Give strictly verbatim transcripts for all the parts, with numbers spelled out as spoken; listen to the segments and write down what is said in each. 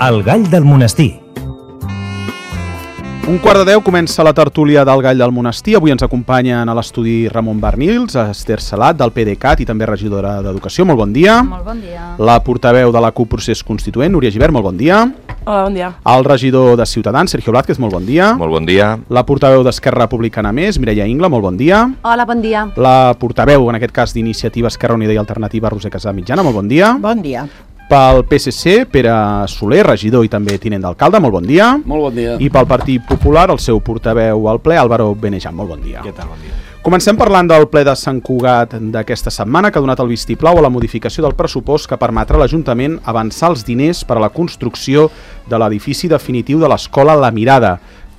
El Gall del Monestir. Un quart de deu comença la tertúlia del Gall del Monestir. Avui ens acompanyen a l'estudi Ramon Bernils, Esther Salat, del PDeCAT i també regidora d'Educació. Molt bon dia. Molt bon dia. La portaveu de la CUP Procés Constituent, Núria Gibert. Molt bon dia. Hola, bon dia. El regidor de Ciutadans, Sergio Blázquez. Molt bon dia. Molt bon dia. La portaveu d'Esquerra Republicana Més, Mireia Ingla. Molt bon dia. Hola, bon dia. La portaveu, en aquest cas, d'Iniciativa Esquerra Unida i Alternativa, Roser Casamitjana. Molt bon dia. Bon dia. Pel P S C, Pere Soler, regidor i també tinent d'alcalde, molt bon dia. Molt bon dia. I pel Partit Popular, el seu portaveu al ple, Álvaro Benejam, molt bon dia. Què tal, bon dia. Comencem parlant del ple de Sant Cugat d'aquesta setmana, que ha donat el vistiplau a la modificació del pressupost que permetrà a l'Ajuntament avançar els diners per a la construcció de l'edifici definitiu de l'Escola La Mirada,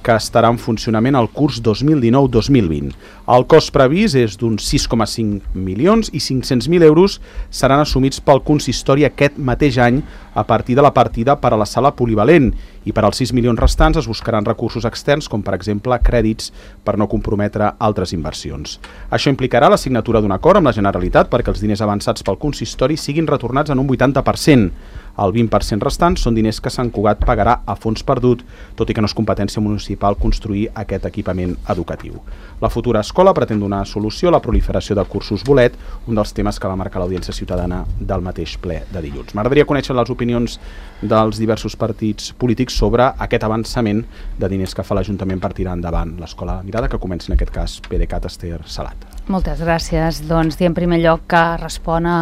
que estarà en funcionament el curs dos mil dinou dos mil vint. El cost previst és d'uns sis coma cinc milions i cinc-cents mil euros seran assumits pel consistori aquest mateix any a partir de la partida per a la sala polivalent, i per als sis milions restants es buscaran recursos externs, com per exemple crèdits, per no comprometre altres inversions. Això implicarà la signatura d'un acord amb la Generalitat perquè els diners avançats pel consistori siguin retornats en un vuitanta per cent. El vint per cent restant són diners que Sant Cugat pagarà a fons perdut, tot i que no és competència municipal construir aquest equipament educatiu. La futura escola pretén donar solució a la proliferació de cursos bolet, un dels temes que va marcar l'audiència ciutadana del mateix ple de dilluns. M'agradaria conèixer les opinions dels diversos partits polítics sobre aquest avançament de diners que fa l'Ajuntament per tirar endavant l'Escola Mirada, que comença en aquest cas PDeCAT, Esther Salat. Moltes gràcies. Doncs dir en primer lloc que respon a,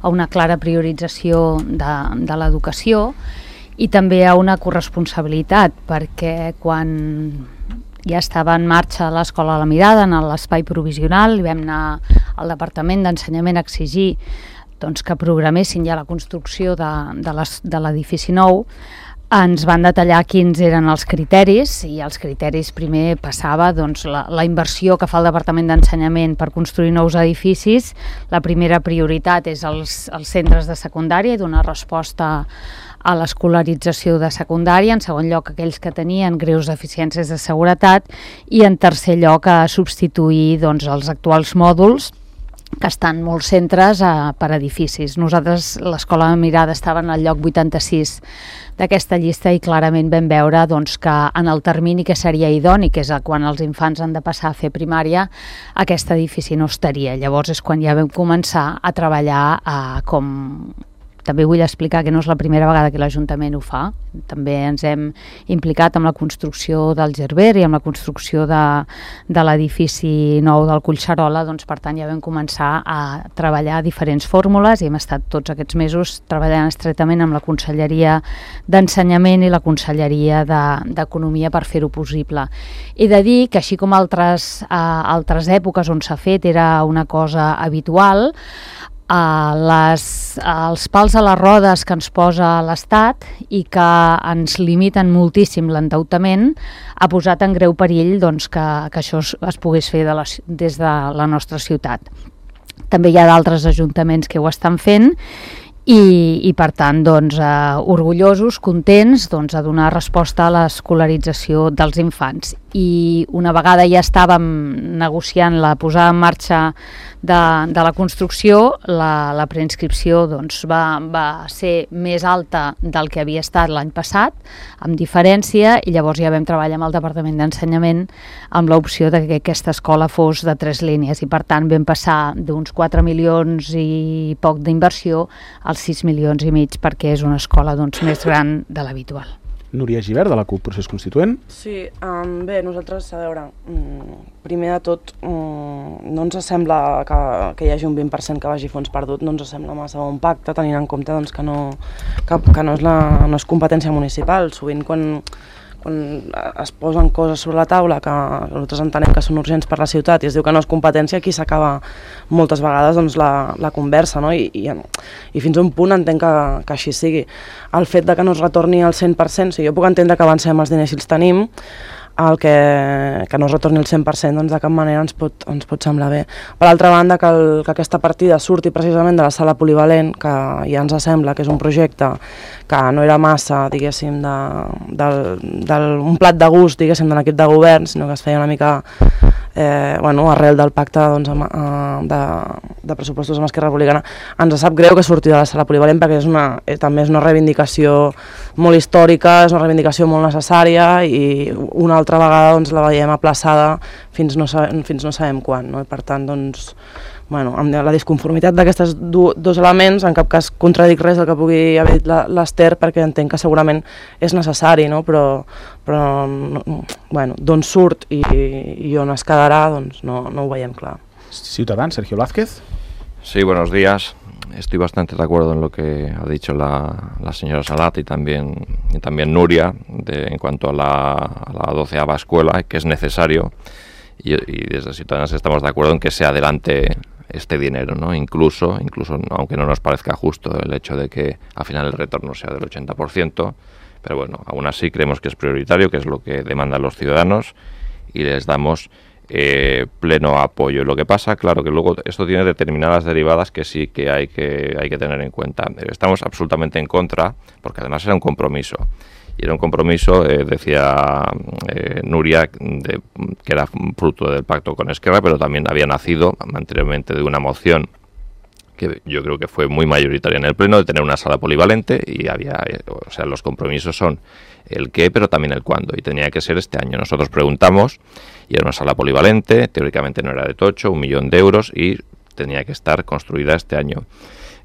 a una clara priorització de, de l'educació i també a una corresponsabilitat, perquè quan ja estava en marxa l'Escola La Mirada en l'espai provisional i vam anar al Departament d'Ensenyament a exigir doncs, que programessin ja la construcció de, de l'edifici nou, ens van detallar quins eren els criteris, i els criteris primer passava doncs, la, la inversió que fa el Departament d'Ensenyament per construir nous edificis. La primera prioritat és els, els centres de secundària i donar resposta a l'escolarització de secundària, en segon lloc aquells que tenien greus deficiències de seguretat i en tercer lloc a substituir doncs, els actuals mòduls que estan molts centres eh, per edificis. Nosaltres, l'Escola Mirada, estava en el lloc vuitanta-sis d'aquesta llista i clarament vam veure doncs, que en el termini que seria idoni, que és quan els infants han de passar a fer primària, aquest edifici no estaria. Llavors és quan ja vam començar a treballar eh, com... També vull explicar que no és la primera vegada que l'Ajuntament ho fa. També ens hem implicat amb la construcció del Gerber i amb la construcció de, de l'edifici nou del Collserola. Doncs, per tant, ja vam començar a treballar diferents fórmules i hem estat tots aquests mesos treballant estretament amb la Conselleria d'Ensenyament i la Conselleria d'Economia per fer-ho possible. He de dir que, així com altres, eh, altres èpoques on s'ha fet era una cosa habitual, Uh, les, uh, els pals a les rodes que ens posa l'Estat i que ens limiten moltíssim l'endeutament ha posat en greu perill doncs, que, que això es, es pogués fer de la, des de la nostra ciutat. També hi ha d'altres ajuntaments que ho estan fent i, i per tant doncs, uh, orgullosos, contents doncs, a donar resposta a l'escolarització dels infants. I una vegada ja estàvem negociant la posada en marxa de, de la construcció, la, la preinscripció doncs, va, va ser més alta del que havia estat l'any passat, amb diferència, i llavors ja vam treballar amb el Departament d'Ensenyament amb l'opció de que aquesta escola fos de tres línies i per tant vam passar d'uns quatre milions i poc d'inversió als sis milions i mig perquè és una escola doncs, més gran de l'habitual. Núria Gibert, de la CUP Procés Constituent. Sí, um, bé, nosaltres, a veure, um, primer de tot, um, no ens sembla que, que hi hagi un vint per cent que vagi fons perdut, no ens sembla massa bon pacte, tenint en compte doncs, que, no, que, que no, és la, no és competència municipal. Sovint quan, quan es posen coses sobre la taula que nosaltres entenem que són urgents per la ciutat i es diu que no és competència, aquí s'acaba moltes vegades doncs, la, la conversa, no? I, i, i fins a un punt entenc que, que així sigui. El fet de que no es retorni al cent per cent, o sigui, jo puc entendre que avancem els diners si els tenim, el que, que no es retorni el cent per cent doncs de cap manera ens pot, ens pot semblar bé. Per altra banda, que, el, que aquesta partida surti precisament de la sala polivalent, que ja ens sembla que és un projecte que no era massa, diguéssim, de, de, de, un plat de gust, diguéssim, de l'equip de govern, sinó que es feia una mica eh, bueno, arrel del pacte doncs, amb, eh, de, de pressupostos amb Esquerra Republicana, ens sap greu que surti de la sala polivalent perquè és una, eh, també és una reivindicació molt històrica, és una reivindicació molt necessària i una altra vegada doncs, la veiem aplaçada fins no, sabem, fins no sabem quan, no? I per tant, doncs, bueno, amb la disconformitat d'aquests dos elements, en cap cas contradic res del que pugui haver dit l'Ester, perquè entenc que segurament és necessari, no? però, però bueno, d'on surt i, i on es quedarà, doncs no, no ho veiem clar. Ciutadans, Sergio Blázquez. Sí, buenos días. Estoy bastante de acuerdo en lo que ha dicho la, la señora Salat y también, y también Nuria de, en cuanto a la, a la doceava escuela, que es necesario, y, y desde Ciudadanos estamos de acuerdo en que se adelante este dinero, ¿no? Incluso, incluso aunque no nos parezca justo el hecho de que al final el retorno sea del ochenta por ciento, pero bueno, aún así creemos que es prioritario, que es lo que demandan los ciudadanos y les damos eh, pleno apoyo. Lo que pasa, claro, que luego esto tiene determinadas derivadas que sí que hay que, hay que tener en cuenta. Estamos absolutamente en contra, porque además era un compromiso. Y era un compromiso, eh, decía eh, Nuria, de, que era fruto del pacto con Esquerra, pero también había nacido anteriormente de una moción que yo creo que fue muy mayoritaria en el Pleno, de tener una sala polivalente, y había, eh, o sea, los compromisos son el qué, pero también el cuándo, y tenía que ser este año. Nosotros preguntamos, y era una sala polivalente, teóricamente no era de tocho, un millón de euros, y tenía que estar construida este año.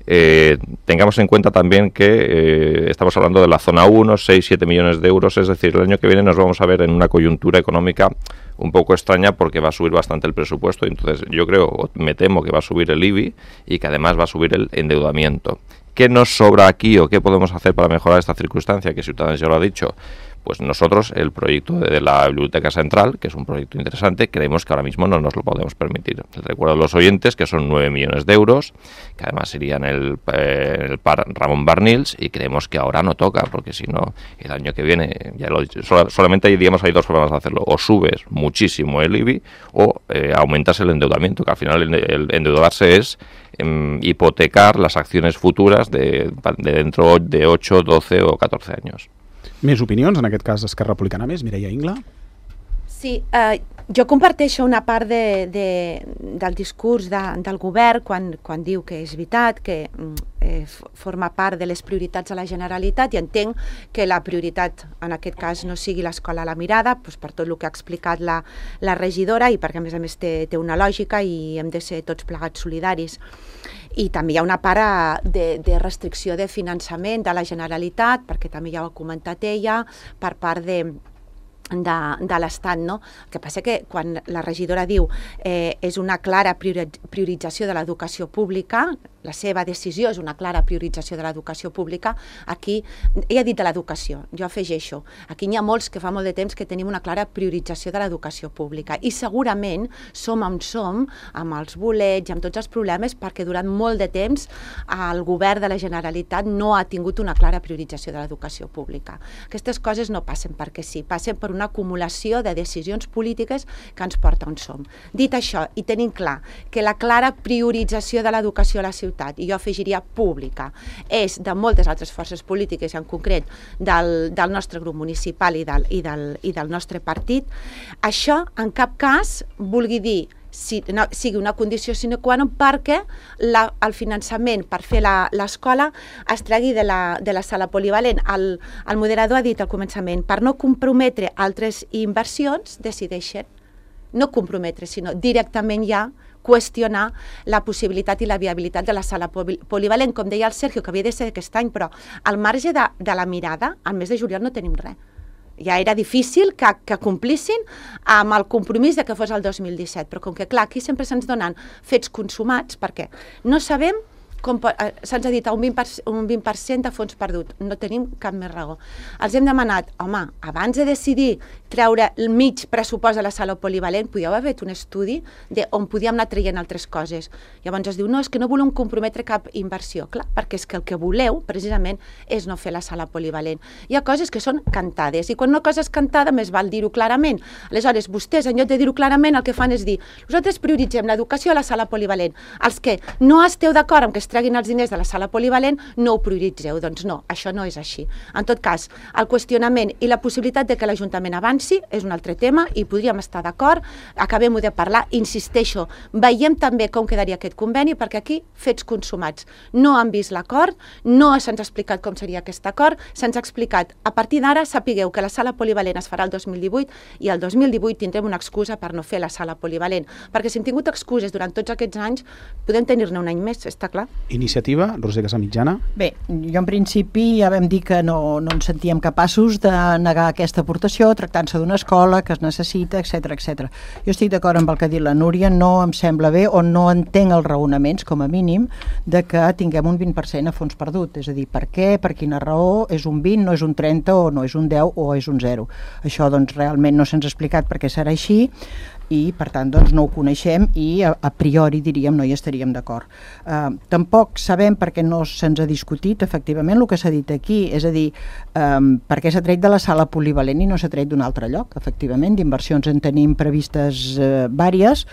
Eh, tengamos en cuenta también que eh, estamos hablando de la zona uno, seis, siete millones de euros, es decir, el año que viene nos vamos a ver en una coyuntura económica un poco extraña porque va a subir bastante el presupuesto, y entonces yo creo, me temo que va a subir el I B I y que además va a subir el endeudamiento. ¿Qué nos sobra aquí o qué podemos hacer para mejorar esta circunstancia? Que Ciudadanos ya lo ha dicho. Pues nosotros el proyecto de la Biblioteca Central, que es un proyecto interesante, creemos que ahora mismo no nos lo podemos permitir. Les recuerdo a los oyentes que son nueve millones de euros, que además irían el, eh, el par Ramón Barnils, y creemos que ahora no toca, porque si no, el año que viene, ya lo he dicho, sol, solamente hay, digamos, hay dos formas de hacerlo: o subes muchísimo el I B I o eh, aumentas el endeudamiento, que al final el, el endeudarse es eh, hipotecar las acciones futuras de, de dentro de ocho, doce o catorce años. Més opinions, en aquest cas Esquerra Republicana més, Mireia Ingla? Sí, eh, jo comparteixo una part de, de, del discurs de, del govern quan, quan diu que és veritat, que eh, forma part de les prioritats de la Generalitat, i entenc que la prioritat en aquest cas no sigui l'Escola a la Mirada, doncs per tot el que ha explicat la, la regidora, i perquè a més a més té, té una lògica i hem de ser tots plegats solidaris. I també hi ha una part de, de restricció de finançament de la Generalitat, perquè també ja ho ha comentat ella, per part de, de, de l'Estat, no? El que passa que quan la regidora diu eh, és una clara priorització de l'educació pública, la seva decisió és una clara priorització de l'educació pública, aquí, ella ha dit de l'educació, jo afegeixo, aquí n'hi ha molts que fa molt de temps que tenim una clara priorització de l'educació pública, i segurament som on som, amb els bolets i amb tots els problemes, perquè durant molt de temps el govern de la Generalitat no ha tingut una clara priorització de l'educació pública. Aquestes coses no passen perquè sí, passen per una acumulació de decisions polítiques que ens porta on som. Dit això, i tenim clar que la clara priorització de l'educació a la ciutat, i jo afegiria pública, és de moltes altres forces polítiques, en concret del, del nostre grup municipal i del, i, del, i del nostre partit, això en cap cas vulgui dir si, no, sigui una condició sine qua non perquè la, el finançament per fer l'escola es tregui de la, de la sala polivalent. El, el moderador ha dit al començament, per no comprometre altres inversions, decideixen no comprometre, sinó directament ja qüestionar la possibilitat i la viabilitat de la sala polivalent. Com deia el Sergio, que havia de ser aquest any, però al marge de, de la mirada, al mes de juliol no tenim res. Ja era difícil que, que complissin amb el compromís de que fos el dos mil disset, però com que clar, aquí sempre se'ns donen fets consumats, perquè no sabem com se'ns ha dit un vint per cent, un vint per cent de fons perdut, no tenim cap més raó. Els hem demanat, home, abans de decidir treure el mig pressupost de la sala polivalent, podíeu haver fet un estudi on podíem anar traient altres coses. Llavors es diu, no, és que no volem comprometre cap inversió. Clar, perquè és que el que voleu, precisament, és no fer la sala polivalent. Hi ha coses que són cantades, i quan una cosa és cantada, més val dir-ho clarament. Aleshores, vostès, en lloc de dir-ho clarament, el que fan és dir, nosaltres prioritzem l'educació a la sala polivalent. Els que no esteu d'acord amb que es treguin els diners de la sala polivalent, no ho prioritzeu. Doncs no, això no és així. En tot cas, el qüestionament i la possibilitat de que l'Ajuntament avanci és un altre tema i podríem estar d'acord, acabem-ho de parlar, insisteixo, veiem també com quedaria aquest conveni, perquè aquí, fets consumats. No han vist l'acord, no se'ns ha explicat com seria aquest acord, se'ns ha explicat, a partir d'ara sapigueu que la sala polivalent es farà el dos mil divuit i el dos mil divuit tindrem una excusa per no fer la sala polivalent, perquè si hem tingut excuses durant tots aquests anys, podem tenir-ne un any més, està clar. Iniciativa, Roser Casamitjana. Bé, jo en principi ja vam dir que no, no ens sentíem capaços de negar aquesta aportació, tractant-se d'una escola que es necessita, etcètera, etcètera. Jo estic d'acord amb el que ha dit la Núria, no em sembla bé o no entenc els raonaments, com a mínim, de que tinguem un vint per cent a fons perdut. És a dir, per què, per quina raó, és un vint, no és un trenta, o no és un deu, o és un zero. Això, doncs, realment no se'ns ha explicat per què serà així, i per tant doncs no ho coneixem i a, a priori diríem no hi estaríem d'acord. Uh, tampoc sabem perquè no se'ns ha discutit efectivament el que s'ha dit aquí, és a dir, um, per què s'ha tret de la sala polivalent i no s'ha tret d'un altre lloc. Efectivament, d'inversions en tenim previstes uh, vàries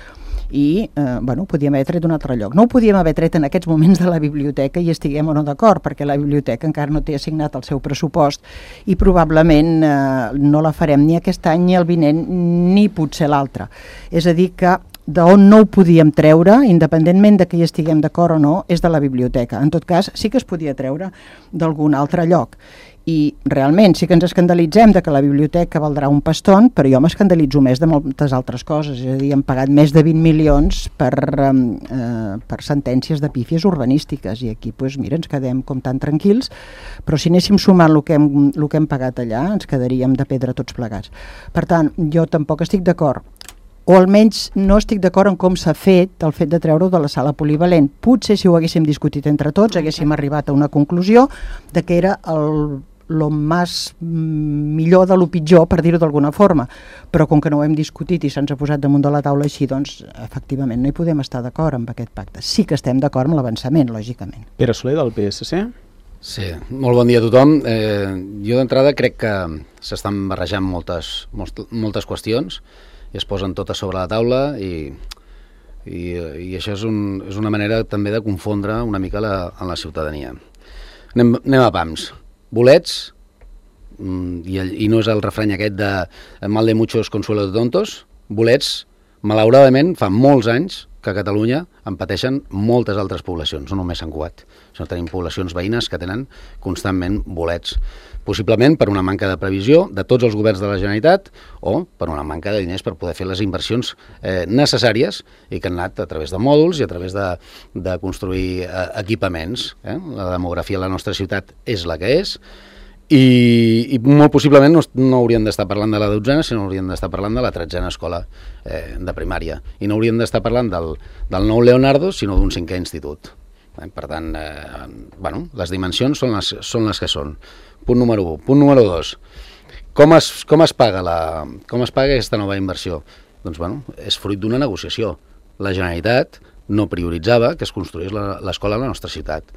i eh, bueno, ho podíem haver tret d'un altre lloc. No ho podíem haver tret en aquests moments de la biblioteca i estiguem o no d'acord, perquè la biblioteca encara no té assignat el seu pressupost i probablement eh, no la farem ni aquest any ni el vinent ni potser l'altre. És a dir que d'on no ho podíem treure, independentment de que hi estiguem d'acord o no, és de la biblioteca. En tot cas, sí que es podia treure d'algun altre lloc. I realment sí que ens escandalitzem de que la biblioteca valdrà un paston, però jo m'escandalitzo més de moltes altres coses. És a dir, hem pagat més de vint milions per, eh, per sentències de pífies urbanístiques i aquí, doncs, mira, ens quedem com tan tranquils, però si anéssim sumant el que hem, el que hem pagat allà, ens quedaríem de pedra tots plegats. Per tant, jo tampoc estic d'acord, o almenys no estic d'acord en com s'ha fet el fet de treure-ho de la sala polivalent. Potser si ho haguéssim discutit entre tots haguéssim arribat a una conclusió de que era el lo més millor de lo pitjor, per dir-ho d'alguna forma, però com que no ho hem discutit i se'ns ha posat damunt de la taula així, doncs efectivament no hi podem estar d'acord amb aquest pacte. Sí que estem d'acord amb l'avançament, lògicament. Pere Soler, del P S C. Sí, molt bon dia a tothom. Eh, jo d'entrada crec que s'estan barrejant moltes, moltes qüestions i es posen totes sobre la taula i, i, i això és, un, és una manera també de confondre una mica la, en la ciutadania. Anem, anem a pams. Bolets, i, i no és el refrany aquest de mal de muchos consuelo de tontos, bolets, malauradament, fa molts anys que a Catalunya en pateixen moltes altres poblacions, no només Sant Cugat, sinó tenim poblacions veïnes que tenen constantment bolets, possiblement per una manca de previsió de tots els governs de la Generalitat o per una manca de diners per poder fer les inversions eh, necessàries i que han anat a través de mòduls i a través de, de construir eh, equipaments. Eh? La demografia de la nostra ciutat és la que és i, i molt possiblement no, no hauríem d'estar parlant de la dotzena, sinó hauríem d'estar parlant de la tretzena escola eh, de primària i no hauríem d'estar parlant del, del nou Leonardo, sinó d'un cinquè institut. Eh? Per tant, eh, bueno, les dimensions són les, són les que són. Punt número u. Punt número dos. Com es, com es paga la, com es paga aquesta nova inversió? Doncs, bueno, és fruit d'una negociació. La Generalitat no prioritzava que es construís l'escola a la nostra ciutat.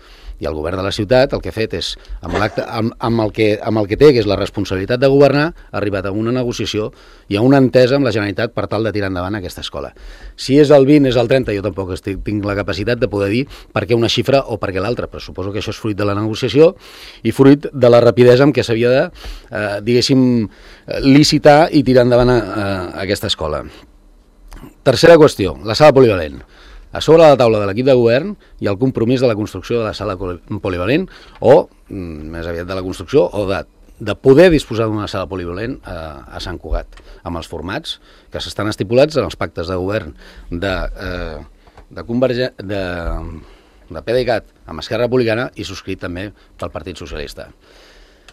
I el govern de la ciutat el que ha fet és, amb, amb, amb, el que, amb el que té, que és la responsabilitat de governar, ha arribat a una negociació i a una entesa amb la Generalitat per tal de tirar endavant aquesta escola. Si és el vint, és el trenta, jo tampoc estic, tinc la capacitat de poder dir per què una xifra o per què l'altra, però suposo que això és fruit de la negociació i fruit de la rapidesa amb què s'havia de, eh, diguéssim, licitar i tirar endavant a, a, a aquesta escola. Tercera qüestió, la sala polivalent. A sobre la taula de l'equip de govern hi ha el compromís de la construcció de la sala polivalent o, més aviat de la construcció, o de, de poder disposar d'una sala polivalent a, a Sant Cugat, amb els formats que s'estan estipulats en els pactes de govern de, eh, de, Converge, de, de PDeCAT amb Esquerra Republicana i subscrit també pel Partit Socialista.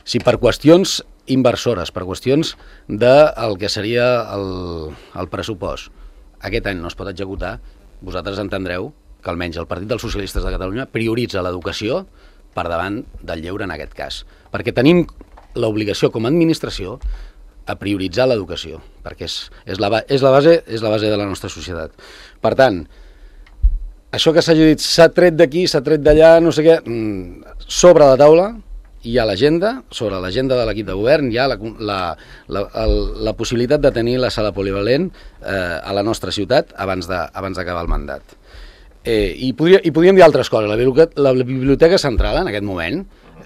Si per qüestions inversores, per qüestions del que seria el, el pressupost, aquest any no es pot executar, vosaltres entendreu que almenys el Partit dels Socialistes de Catalunya prioritza l'educació per davant del lleure en aquest cas. Perquè tenim l'obligació com a administració a prioritzar l'educació, perquè és, és, la, és, la base, és la base de la nostra societat. Per tant, això que s'hagi dit s'ha tret d'aquí, s'ha tret d'allà, no sé què, sobre la taula hi ha l'agenda, sobre l'agenda de l'equip de govern hi ha la, la, la, la, la possibilitat de tenir la sala polivalent eh, a la nostra ciutat abans de, abans d'acabar el mandat. Eh, i, podria, I podríem dir altres coses. La biblioteca, la biblioteca central, en aquest moment,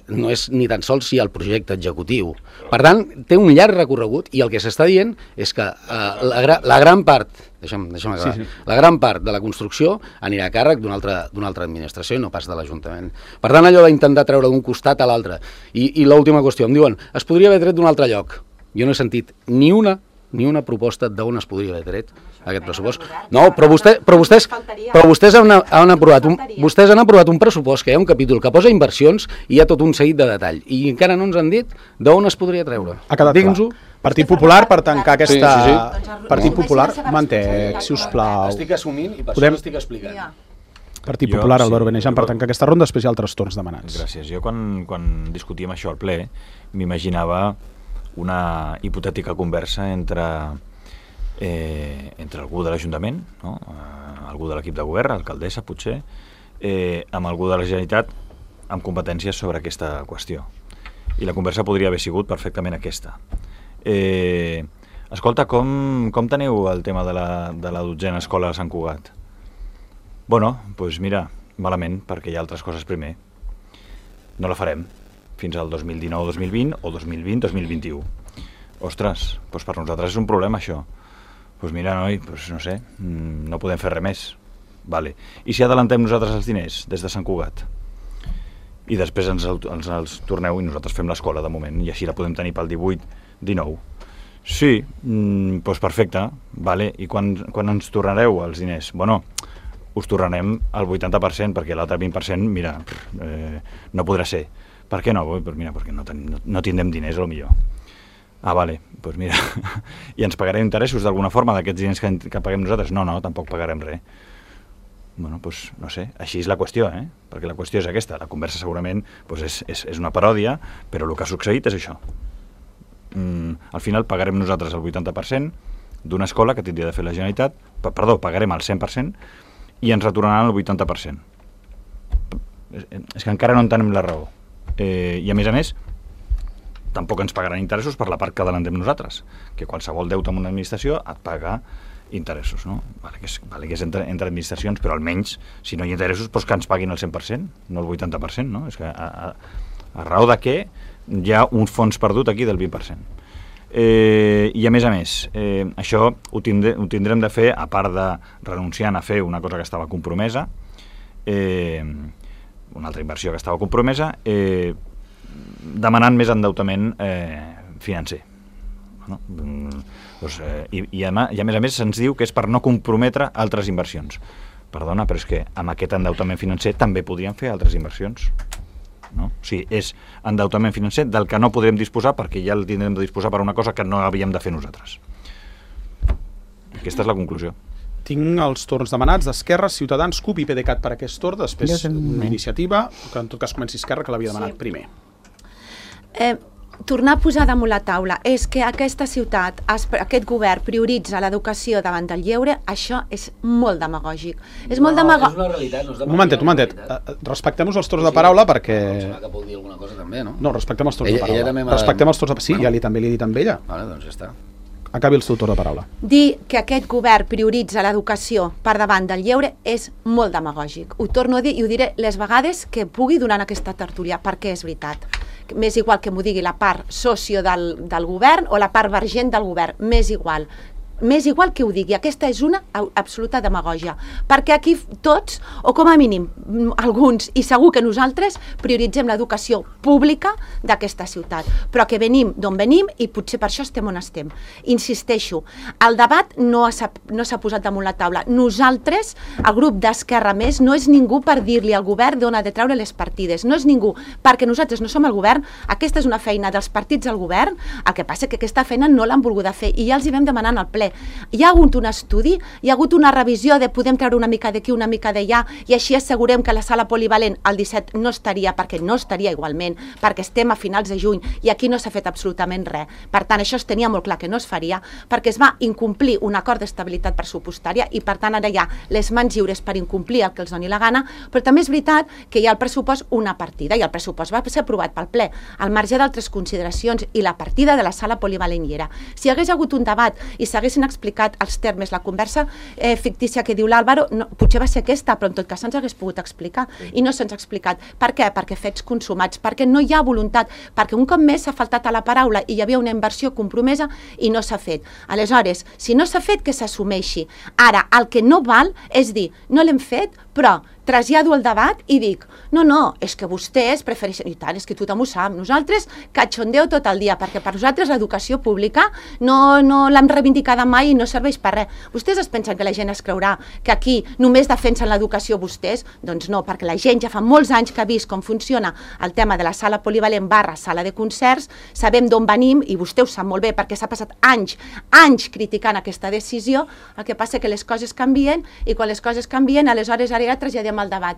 no és ni tan sols si el projecte executiu. Per tant, té un llarg recorregut i el que s'està dient és que eh, la, gra, la gran part, deixa'm, deixa'm acabar, sí, sí. la gran part de la construcció anirà a càrrec d'una altra, d'una altra administració i no pas de l'Ajuntament. Per tant, allò d'intentar treure d'un costat a l'altre. I, i l'última qüestió, em diuen, es podria haver tret d'un altre lloc. Jo no he sentit ni una ni una proposta d'on es podria haver tret aquest pressupost. No, però, vostè, però vostès, però vostès, han, han aprovat un, vostès han aprovat un pressupost que hi ha un capítol que posa inversions i hi ha tot un seguit de detall. I encara no ens han dit d'on es podria treure. Ha quedat clar. Partit Popular, per tancar aquesta... Sí, sí, sí. Partit no. Popular, mantec, si us plau. Estic assumint i per Podem... això l'estic explicant. Partit Popular, jo, Álvaro Benejam, per tancar aquesta ronda, després hi ha altres torns demanats. Gràcies. Jo quan, quan discutíem això al ple m'imaginava una hipotètica conversa entre, eh, entre algú de l'Ajuntament, no? eh, algú de l'equip de govern, alcaldessa potser, eh, amb algú de la Generalitat amb competències sobre aquesta qüestió. I la conversa podria haver sigut perfectament aquesta. Eh, escolta, com, com teniu el tema de la, de la dotzena escola de Sant Cugat? Bueno, doncs pues mira, malament, perquè hi ha altres coses primer. No la farem fins al dos mil dinou dos mil vint o dos mil vint dos mil vint-i-u. Ostres, doncs per nosaltres és un problema això. Doncs mira, noi, doncs no sé, no podem fer res més. Vale. I si adelantem nosaltres els diners des de Sant Cugat? I després ens, ens els torneu i nosaltres fem l'escola de moment i així la podem tenir pel divuit dinou. Sí, doncs perfecte, vale. I quan, quan ens tornareu els diners? Bueno, us tornarem el vuitanta per cent perquè l'altre vint per cent, mira, eh, no podrà ser. Per què no? Pues mira, perquè no, ten, no, no tindrem diners, a lo millor. Ah, vale, doncs pues mira, i ens pagarem interessos d'alguna forma d'aquests diners que, que paguem nosaltres? No, no, tampoc pagarem res. Bueno, doncs pues, no sé, així és la qüestió, eh? Perquè la qüestió és aquesta, la conversa segurament pues és, és, és una paròdia, però el que ha succeït és això. Mm, al final pagarem nosaltres el vuitanta per cent d'una escola que tindria de fer la Generalitat, perdó, pagarem el cent per cent i ens retornaran el vuitanta per cent. És que encara no entenem la raó. Eh, I a més a més tampoc ens pagaran interessos per la part que adelantem nosaltres, que qualsevol deute amb una administració et paga interessos, no? Vale que és, vale que és entre, entre administracions, però almenys si no hi ha interessos doncs que ens paguin el cent per cent, no el vuitanta per cent, no? És que a, a, a raó de què hi ha un fons perdut aquí del vint per cent. Eh, I a més a més, eh, això ho, tindre, ho tindrem de fer, a part de renunciant a fer una cosa que estava compromesa, eh, una altra inversió que estava compromesa, eh, demanant més endeutament eh, financer. No? Doncs, eh, i, i, a, I a més a més se'ns diu que és per no comprometre altres inversions. Perdona, però és que amb aquest endeutament financer també podríem fer altres inversions. No? O sigui, és endeutament financer del que no podrem disposar perquè ja el tindrem de disposar per una cosa que no havíem de fer nosaltres. Aquesta és la conclusió. Tinc els torns demanats d'Esquerra, Ciutadans, C U P i PDeCAT per aquest torn, després una iniciativa, que en tot cas comenci Esquerra, que l'havia demanat sí. primer. Eh, tornar a posar damunt la taula és que aquesta ciutat, aquest govern prioritza l'educació davant del lleure, això és molt demagògic. És molt demagògic. És una realitat. No és un momentet, un momentet. Respectem-nos els torns de paraula perquè... No, que vol dir alguna cosa també, no? No, respectem els torns ella, de paraula. Respectem els torns de... Sí, bueno. ja li, també li he dit amb ella. Vale, doncs ja està. Acabi el seu torn de paraula. Dir que aquest govern prioritza l'educació per davant del lleure és molt demagògic. Ho torno a dir i ho diré les vegades que pugui durant aquesta tertúlia, perquè és veritat. M'és igual que m'ho digui la part socio del, del govern o la part vergent del govern, m'és igual. M'és igual que ho digui, aquesta és una absoluta demagògia, perquè aquí tots, o com a mínim alguns, i segur que nosaltres, prioritzem l'educació pública d'aquesta ciutat, però que venim d'on venim i potser per això estem on estem. Insisteixo, el debat no s'ha no s'ha posat damunt la taula. Nosaltres, el grup d'Esquerra Més, no és ningú per dir-li al govern d'on ha de treure les partides, no és ningú, perquè nosaltres no som el govern, aquesta és una feina dels partits al govern, el que passa que aquesta feina no l'han volguda fer i ja els hi vam demanar en el ple. Hi ha hagut un estudi, hi ha hagut una revisió de podem treure una mica d'aquí, una mica d'allà i així assegurem que la sala polivalent el disset no estaria, perquè no estaria igualment, perquè estem a finals de juny i aquí no s'ha fet absolutament res. Per tant, això es tenia molt clar que no es faria perquè es va incomplir un acord d'estabilitat pressupostària i per tant ara hi ha les mans lliures per incomplir el que els doni la gana, però també és veritat que hi ha al pressupost una partida i el pressupost va ser aprovat pel ple, al marge d'altres consideracions i la partida de la sala polivalent hi era. Si hi hagués hagut un debat i s'hagués haguessin explicat els termes, la conversa eh, fictícia que diu l'Àlvaro, no, potser va ser aquesta, però en tot cas se'ns hagués pogut explicar, sí. I no se'ns ha explicat. Per què? Perquè fets consumats, perquè no hi ha voluntat, perquè un cop més s'ha faltat a la paraula i hi havia una inversió compromesa i no s'ha fet. Aleshores, si no s'ha fet, que s'assumeixi. Ara, el que no val és dir, no l'hem fet, però trasllado el debat i dic, no, no, és que vostès prefereixen, i tant, és que tothom ho sap, nosaltres cachondeo tot el dia, perquè per nosaltres l'educació pública no, no l'hem reivindicada mai i no serveix per res. Vostès es pensen que la gent es creurà que aquí només defensen l'educació vostès? Doncs no, perquè la gent ja fa molts anys que ha vist com funciona el tema de la sala polivalent barra sala de concerts, sabem d'on venim i vostè ho sap molt bé perquè s'ha passat anys, anys criticant aquesta decisió, el que passa que les coses canvien i quan les coses canvien, aleshores ara ja traslladem el debat.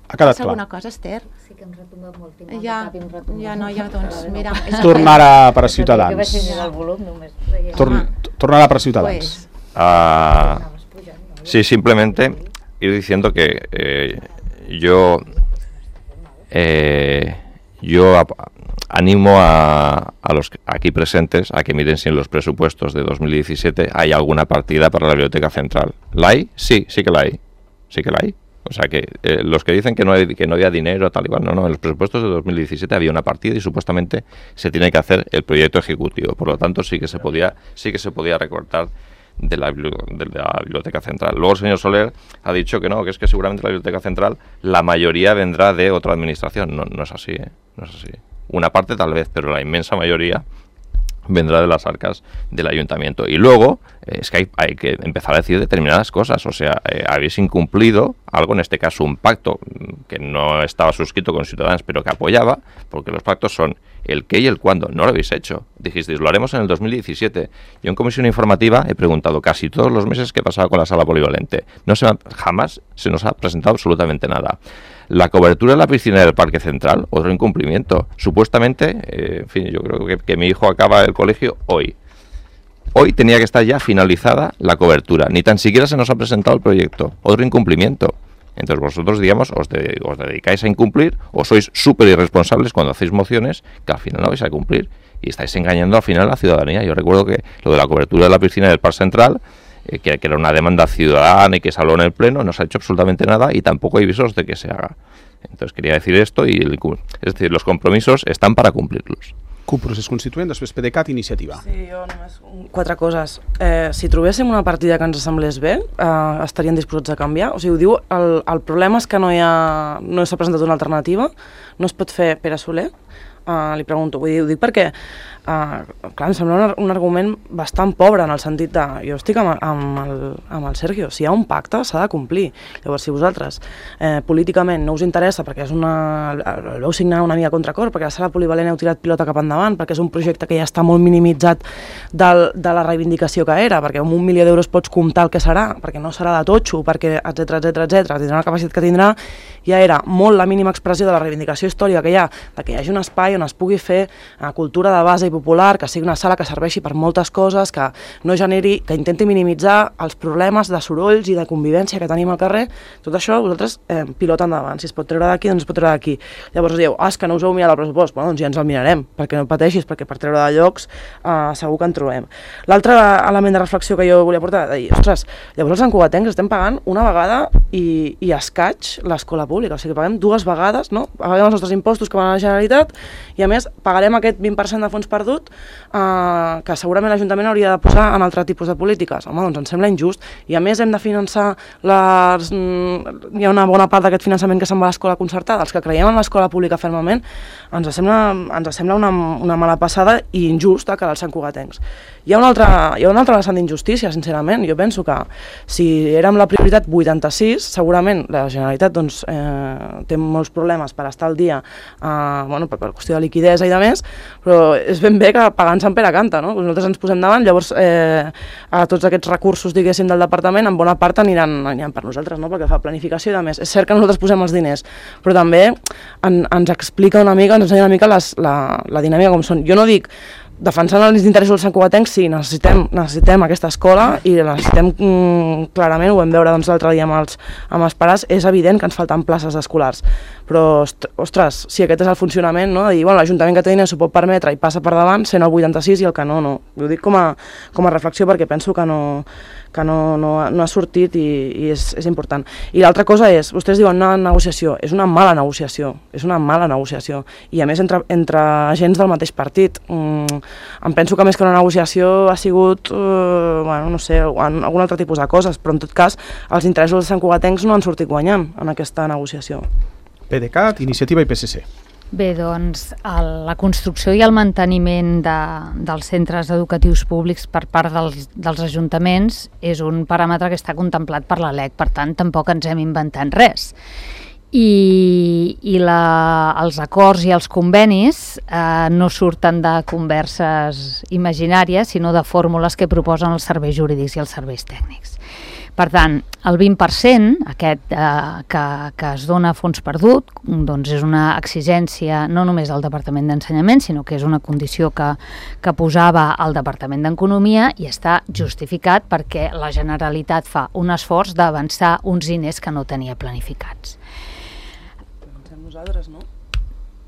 Ha quedat clar. Alguna cosa, Esther? Sí que em retomba molt. Ja, ja no, ja doncs, mira... Tornarà per a Ciutadans. Torn, tornarà per a Ciutadans. Uh, sí, simplemente ir diciendo que eh, yo eh, yo a, animo a, a los aquí presentes a que miren si en los presupuestos de dos mil diecisiete hay alguna partida para la Biblioteca Central. ¿La hay? Sí, sí que la hay. Sí que la hay. O sea que eh, los que dicen que no, hay, que no había dinero, tal y cual, no, no, en los presupuestos de dos mil diecisiete había una partida y supuestamente se tiene que hacer el proyecto ejecutivo. Por lo tanto, sí que se podía, sí que se podía recortar de la, de la Biblioteca Central. Luego el señor Soler ha dicho que no, que es que seguramente la Biblioteca Central, la mayoría vendrá de otra administración. No, no es así, ¿eh? No es así. Una parte tal vez, pero la inmensa mayoría vendrá de las arcas del ayuntamiento. Y luego eh, es que hay, hay que empezar a decir determinadas cosas. O sea, eh, habéis incumplido algo, en este caso un pacto que no estaba suscrito con Ciudadanos, pero que apoyaba, porque los pactos son el qué y el cuándo. No lo habéis hecho. Dijisteis, lo haremos en el dos mil diecisiete. Yo en comisión informativa he preguntado casi todos los meses qué pasaba con la sala polivalente. No se, jamás se nos ha presentado absolutamente nada. La cobertura de la piscina del Parque Central, otro incumplimiento. Supuestamente, eh, en fin, yo creo que, que mi hijo acaba el colegio hoy. Hoy tenía que estar ya finalizada la cobertura. Ni tan siquiera se nos ha presentado el proyecto. Otro incumplimiento. Entonces vosotros, digamos, os, de, os dedicáis a incumplir o sois súper irresponsables cuando hacéis mociones que al final no vais a cumplir y estáis engañando al final a la ciudadanía. Yo recuerdo que lo de la cobertura de la piscina del Parque Central, eh, que, que era una demanda ciudadana y que se habló en el Pleno, no se ha hecho absolutamente nada y tampoco hay visos de que se haga. Entonces quería decir esto y el, es decir, los compromisos están para cumplirlos. C U P, procés constituent, després PDeCAT, iniciativa. Sí, jo només quatre coses. Eh, si trobéssim una partida que ens semblés bé, eh, estarien disposats a canviar. O sigui, ho diu, el, el problema és que no hi ha, no s'ha presentat una alternativa, no es pot fer Pere Soler. Uh, li pregunto, vull dir, ho dic perquè uh, clar, em sembla un, un argument bastant pobre en el sentit de, jo estic amb, amb, el, amb el Sergio, si hi ha un pacte s'ha de complir. Llavors, si vosaltres eh, políticament no us interessa perquè és una, el veu signar una mica a contracor, perquè la sala polivalent heu tirat pilota cap endavant, perquè és un projecte que ja està molt minimitzat del, de la reivindicació que era, perquè amb un milió d'euros pots comptar el que serà, perquè no serà de totxo, perquè etc etc etc tindrà la capacitat que tindrà, ja era molt la mínima expressió de la reivindicació històrica que hi ha, de que hi hagi un espai on es pugui fer uh, cultura de base i popular, que sigui una sala que serveixi per moltes coses, que no generi, que intenti minimitzar els problemes de sorolls i de convivència que tenim al carrer. Tot això vosaltres eh, pilota endavant. Si es pot treure d'aquí, doncs es pot treure d'aquí. Llavors dieu, ah, és que no us heu mirat el pressupost. Bueno, doncs ja ens el mirarem, perquè no pateixis, perquè per treure de llocs uh, segur que en trobem. L'altre element de reflexió que jo volia portar, de dir, ostres, llavors els encogatencs estem pagant una vegada i, i escaig l'escola pública, o sigui que paguem dues vegades, no? Paguem els nostres impostos que van a la Generalitat i a més pagarem aquest vint per cent de fons perdut eh, que segurament l'Ajuntament hauria de posar en altre tipus de polítiques. Home, doncs ens sembla injust. I a més hem de finançar les... hi ha una bona part d'aquest finançament que se'n va a l'escola concertada. Els que creiem en l'escola pública fermament ens sembla, ens sembla una, una mala passada i injusta que als santcugatencs. Hi ha un altre, hi ha un altre vessant d'injustícia, sincerament. Jo penso que si érem la prioritat vuitanta-sis, segurament la Generalitat doncs, eh, té molts problemes per estar al dia, eh, bueno, per, per qüestió de liquidesa i de més, però és ben bé que pagant Sant Pere canta, no? Nosaltres ens posem davant, llavors eh, a tots aquests recursos, diguéssim, del departament, en bona part aniran, aniran per nosaltres, no? Perquè fa planificació i de més. És cert que nosaltres posem els diners, però també en, ens explica una mica, ens ensenya una mica les, la, la dinàmica com són. Jo no dic defensant els interessos dels santcugatencs, sí, necessitem, necessitem aquesta escola i necessitem mm, clarament, ho vam veure doncs, l'altre dia amb els, amb els pares, és evident que ens falten places escolars, però ostres, si aquest és el funcionament, no? De dir, bueno, l'Ajuntament que té diners s'ho pot permetre i passa per davant, sent el vuitanta-sis i el que no, no. Ho dic com a, com a reflexió perquè penso que no, que no, no, no ha sortit i, i és, és important. I l'altra cosa és, vostès diuen una negociació, és una mala negociació, és una mala negociació, i a més entre, entre agents del mateix partit. Mm, em penso que més que una negociació ha sigut, eh, bueno, no sé, algun altre tipus de coses, però en tot cas els interessos dels santcugatencs no han sortit guanyant en aquesta negociació. PDeCAT, Iniciativa i P S C. Bé, doncs el, la construcció i el manteniment de, dels centres educatius públics per part dels, dels ajuntaments és un paràmetre que està contemplat per la L E C, per tant tampoc ens hem inventat res. I, i la, els acords i els convenis eh, no surten de converses imaginàries, sinó de fórmules que proposen els serveis jurídics i els serveis tècnics. Per tant, el vint per cent aquest, eh, que, que es dona a fons perdut, doncs és una exigència no només del Departament d'Ensenyament, sinó que és una condició que, que posava el Departament d'Economia i està justificat perquè la Generalitat fa un esforç d'avançar uns diners que no tenia planificats. Nosaltres, no?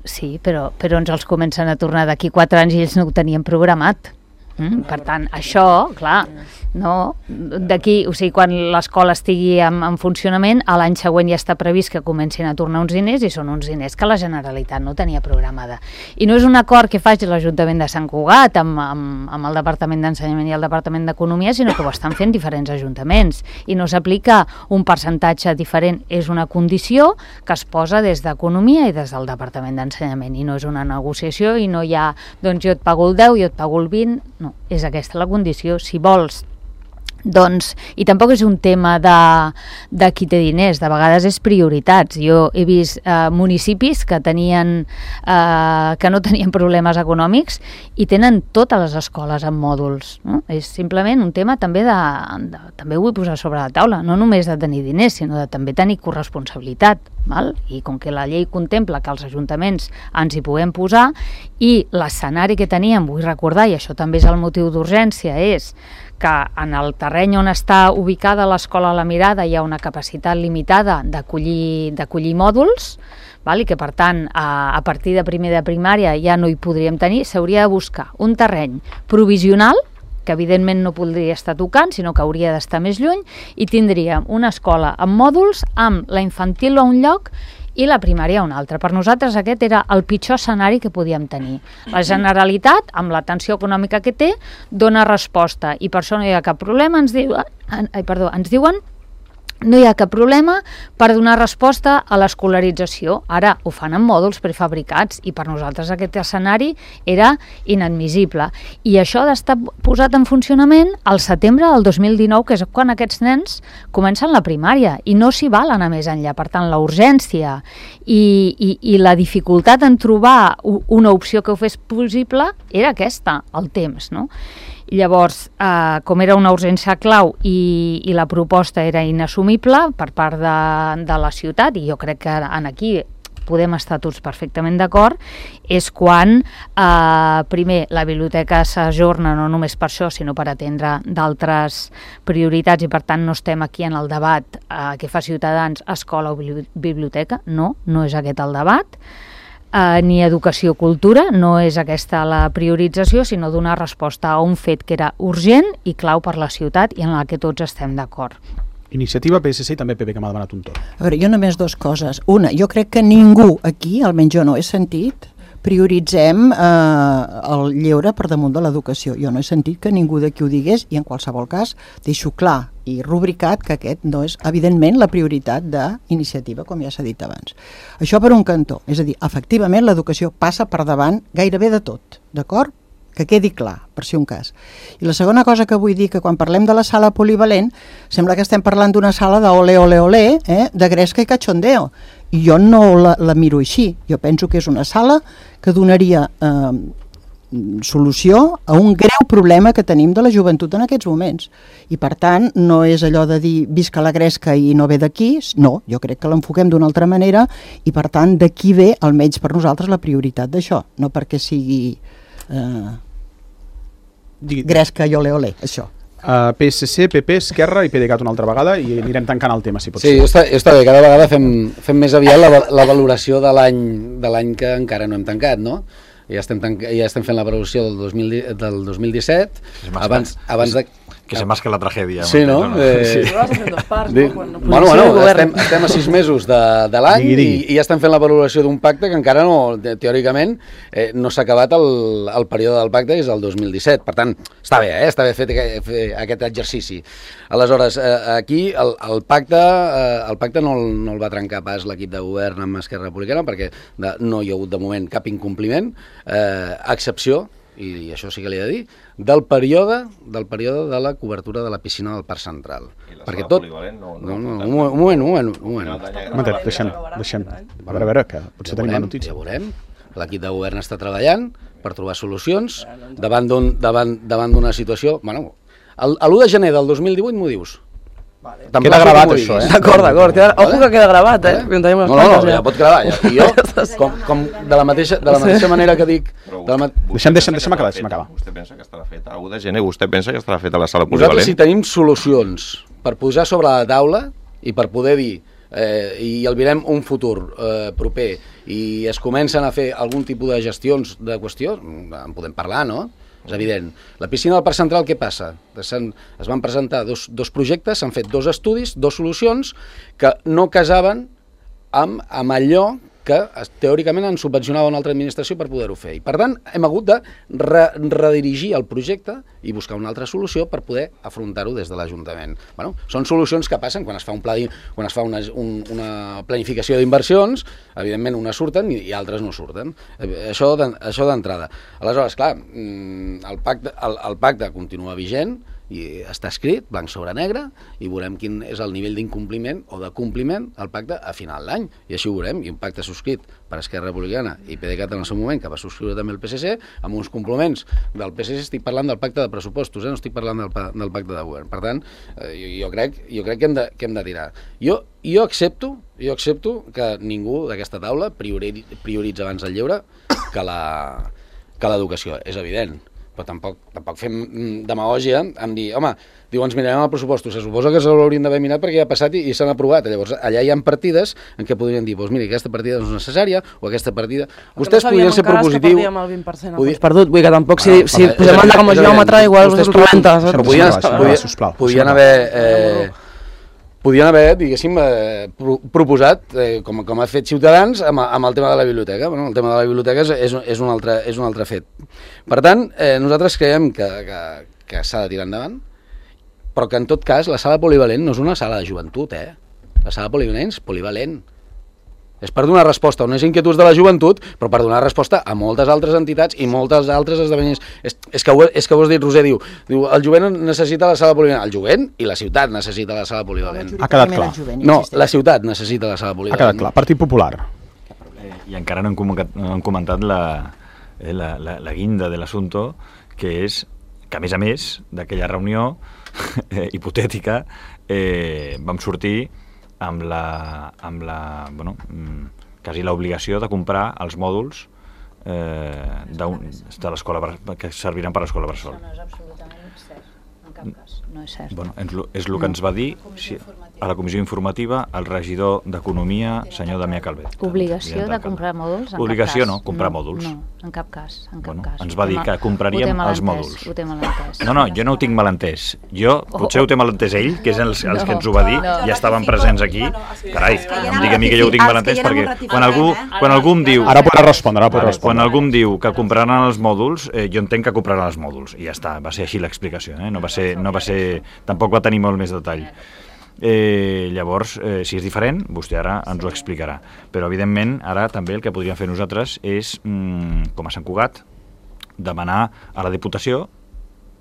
Sí, però, però ens els comencen a tornar d'aquí quatre anys i ells no ho tenien programat. Mm? Per tant, això, clar, no, d'aquí, o sigui, quan l'escola estigui en, en funcionament, a l'any següent ja està previst que comencin a tornar uns diners i són uns diners que la Generalitat no tenia programada. I no és un acord que faci l'Ajuntament de Sant Cugat amb, amb, amb el Departament d'Ensenyament i el Departament d'Economia, sinó que ho estan fent diferents ajuntaments i no s'aplica un percentatge diferent, és una condició que es posa des d'Economia i des del Departament d'Ensenyament i no és una negociació i no hi ha, doncs jo et pago el deu, jo et pago el vint, no, és aquesta la condició. Si vols, doncs, i tampoc és un tema de, de qui té diners, de vegades és prioritats. Jo he vist eh, municipis que tenien eh, que no tenien problemes econòmics i tenen totes les escoles en mòduls, no? És simplement un tema també de, de també ho vull posar sobre la taula, no només de tenir diners, sinó de també tenir corresponsabilitat, val? I com que la llei contempla que els ajuntaments ens hi puguem posar i l'escenari que teníem, vull recordar, i això també és el motiu d'urgència, és que en el terreny on està ubicada l'escola La Mirada hi ha una capacitat limitada d'acollir d'acollir mòduls, val? I que per tant a, a partir de primer de primària ja no hi podríem tenir, s'hauria de buscar un terreny provisional que evidentment no podria estar tocant, sinó que hauria d'estar més lluny, i tindríem una escola amb mòduls, amb la infantil a un lloc i la primària a un altre. Per nosaltres aquest era el pitjor escenari que podíem tenir. La Generalitat, amb la tensió econòmica que té, dona resposta i per això no hi ha cap problema, ens diuen, ai, perdó, ens diuen no hi ha cap problema per donar resposta a l'escolarització. Ara ho fan en mòduls prefabricats i per nosaltres aquest escenari era inadmissible. I això d'estar posat en funcionament al setembre del dos mil dinou, que és quan aquests nens comencen la primària i no s'hi val anar més enllà. Per tant, la urgència i, i, i la dificultat en trobar una opció que ho fes possible era aquesta, el temps, no? Llavors, eh, com era una urgència clau i, i la proposta era inassumible per part de, de la ciutat, i jo crec que en aquí podem estar tots perfectament d'acord, és quan, eh, primer, la biblioteca s'ajorna no només per això, sinó per atendre d'altres prioritats, i per tant no estem aquí en el debat eh, que fa Ciutadans, escola o biblioteca, no, no és aquest el debat. Uh, ni educació o cultura, no és aquesta la priorització, sinó donar resposta a un fet que era urgent i clau per la ciutat i en la que tots estem d'acord. Iniciativa, P S C i també P P, que m'ha demanat un torn. A veure, jo només dues coses. Una, jo crec que ningú aquí, almenys jo no he sentit, prioritzem eh, el lleure per damunt de l'educació. Jo no he sentit que ningú d'aquí ho digués i en qualsevol cas deixo clar i rubricat que aquest no és, evidentment, la prioritat d'iniciativa, com ja s'ha dit abans. Això per un cantó, és a dir, efectivament l'educació passa per davant gairebé de tot, d'acord? Que quedi clar, per si un cas. I la segona cosa que vull dir, que quan parlem de la sala polivalent, sembla que estem parlant d'una sala de ole, ole, ole, eh? de gresca i cachondeo. I jo no la, la miro així. Jo penso que és una sala que donaria eh, solució a un greu problema que tenim de la joventut en aquests moments. I per tant, no és allò de dir visca la gresca i no ve d'aquí, no, jo crec que l'enfoquem d'una altra manera i per tant d'aquí ve, almenys per nosaltres, la prioritat d'això, no perquè sigui... Eh, gresca i ole ole, això. Uh, P S C, P P, Esquerra i PDeCAT una altra vegada i anirem tancant el tema, si pot sí, ser. Sí, està, està bé, cada vegada fem, fem més aviat la, la valoració de l'any de l'any que encara no hem tancat, no? Ja estem, tanc, ja estem fent la valoració del dos mil, del dos mil disset, abans, abans de... Que se masca la tragèdia. Sí, no? No? Eh... Sí. Vas a fer dos parts, de... no? Quan Bueno, bueno, estem, estem a sis mesos de, de l'any i, i ja estem fent la valoració d'un pacte que encara no, teòricament, eh, no s'ha acabat el, el període del pacte, és el dos mil disset. Per tant, està bé, eh? Està bé fer, fer aquest exercici. Aleshores, eh, aquí el, el pacte eh, el pacte no el, no el va trencar pas l'equip de govern amb Esquerra Republicana perquè de, no hi ha hagut de moment cap incompliment, eh, a excepció, i això sí que li he de dir, del període del període de la cobertura de la piscina del Parc Central. I la perquè sala tot... polivalent no, no, no, un moment, un moment, un moment. Un moment. Un moment, deixem, deixem. A veure, a veure, que potser ja tenim la veurem, notícia. ja veurem. L'equip de govern està treballant per trobar solucions davant d'un davant davant d'una situació... Bueno, l'u de gener del dos mil divuit m'ho dius. Vale. Queda gravat això, eh? D'acord, d'acord. Ojo que queda gravat, eh? No, no, no, ja pot quedar. Ja. I jo, com, com de la mateixa, de la mateixa manera que dic... De la ma... Deixem, deixem, deixem acabar, deixem acabar. Vostè pensa que estarà feta, u de gener, vostè pensa que estarà feta la sala Nosaltres, polivalent? si tenim solucions per posar sobre la taula i per poder dir eh, i albirem un futur eh, proper i es comencen a fer algun tipus de gestions de qüestió, en podem parlar, no? És evident. La piscina del Parc Central, què passa? Es van presentar dos, dos projectes, s'han fet dos estudis, dos solucions que no casaven amb, amb allò que teòricament han subvencionat una altra administració per poder-ho fer. I per tant, hem hagut de re redirigir el projecte i buscar una altra solució per poder afrontar-ho des de l'Ajuntament. Bueno, són solucions que passen quan es fa un pla, quan es fa una, un, una planificació d'inversions, evidentment unes surten i, i altres no surten. Això d'entrada. Aleshores, clar, el pacte, el, el pacte continua vigent, i està escrit, blanc sobre negre, i veurem quin és el nivell d'incompliment o de compliment al pacte a final d'any. I així ho veurem, i un pacte subscrit per Esquerra Republicana i PDeCAT en el seu moment, que va subscriure també el P S C, amb uns complements del P S C. Estic parlant del pacte de pressupostos, eh? No estic parlant del, del pacte de govern. Per tant, eh, jo, jo crec, jo crec que, hem de, que hem de tirar. Jo, jo accepto jo accepto que ningú d'aquesta taula priori, prioritza abans el lleure que l'educació, és evident. Però tampoc, tampoc fem demagògia en dir, home, diu, ens mirarem el pressupost, se suposa que se l'haurien d'haver mirat perquè ja ha passat i, i s'han aprovat. Llavors, allà hi ha partides en què podrien dir, doncs mira, aquesta partida no és necessària, o aquesta partida... Vostès podrien ser propositius... Que no sabíem encara que perdíem el vint per cent Podi... perdut, vull que tampoc, si, si ah, posem anda com a geòmetre, igual us rebenta. Però podien, podien haver... Eh, podien haver, diguéssim, eh, pro proposat, eh, com, com ha fet Ciutadans, amb, amb el tema de la biblioteca. Bueno, el tema de la biblioteca és, és, és, un, altre, és un altre fet. Per tant, eh, nosaltres creiem que, que, que s'ha de tirar endavant, però que en tot cas la sala polivalent no és una sala de joventut, eh? La sala polivalent és polivalent. És per donar resposta a unes inquietuds de la joventut, però per donar resposta a moltes altres entitats i moltes altres esdeveniments. És, és, que, ho, és que ho has dit, Roser, diu, diu, el jovent necessita la sala polivalent. El jovent i la ciutat necessita la sala polivalent. Ha quedat clar. No, la ciutat necessita la sala polivalent. Ha quedat clar. Partit Popular. Eh, I encara no hem comentat, no hem comentat la, eh, la, la, la guinda de l'assumpte, que és que, a més a més, d'aquella reunió eh, hipotètica, eh, vam sortir amb la, amb la bueno, quasi l'obligació de comprar els mòduls eh, de l'escola que serviran per a l'escola Bressol. Això no és absolutament cert, en cap cas, no és cert. Bueno, és, és el que ens va dir si, a la comissió informativa el regidor d'Economia, senyor Damià Calvet. Obligació de comprar mòduls? Obligació no, comprar no, mòduls. No, en cap cas. En cap bueno, cas. Ens va dir que compraríem els mòduls. Ho té malentès. No, no, jo no ho tinc malentès. Jo, potser ho té malentès ell, que és els, els que ens ho va dir, no. Ja estaven presents aquí. Carai, no em digui a mi que jo ho tinc malentès, perquè quan algú, quan algú em diu... Ara podrà respondre, ara podrà respondre. Quan algú em diu que compraran els mòduls, eh, jo entenc que compraran els mòduls. I ja està, va ser així l'explicació. Eh? No va ser, no va ser, tampoc va tenir molt més detall. Eh, llavors, eh, si és diferent, vostè ara ens ho explicarà. Però, evidentment, ara també el que podríem fer nosaltres és, mm, com a Sant Cugat, demanar a la Diputació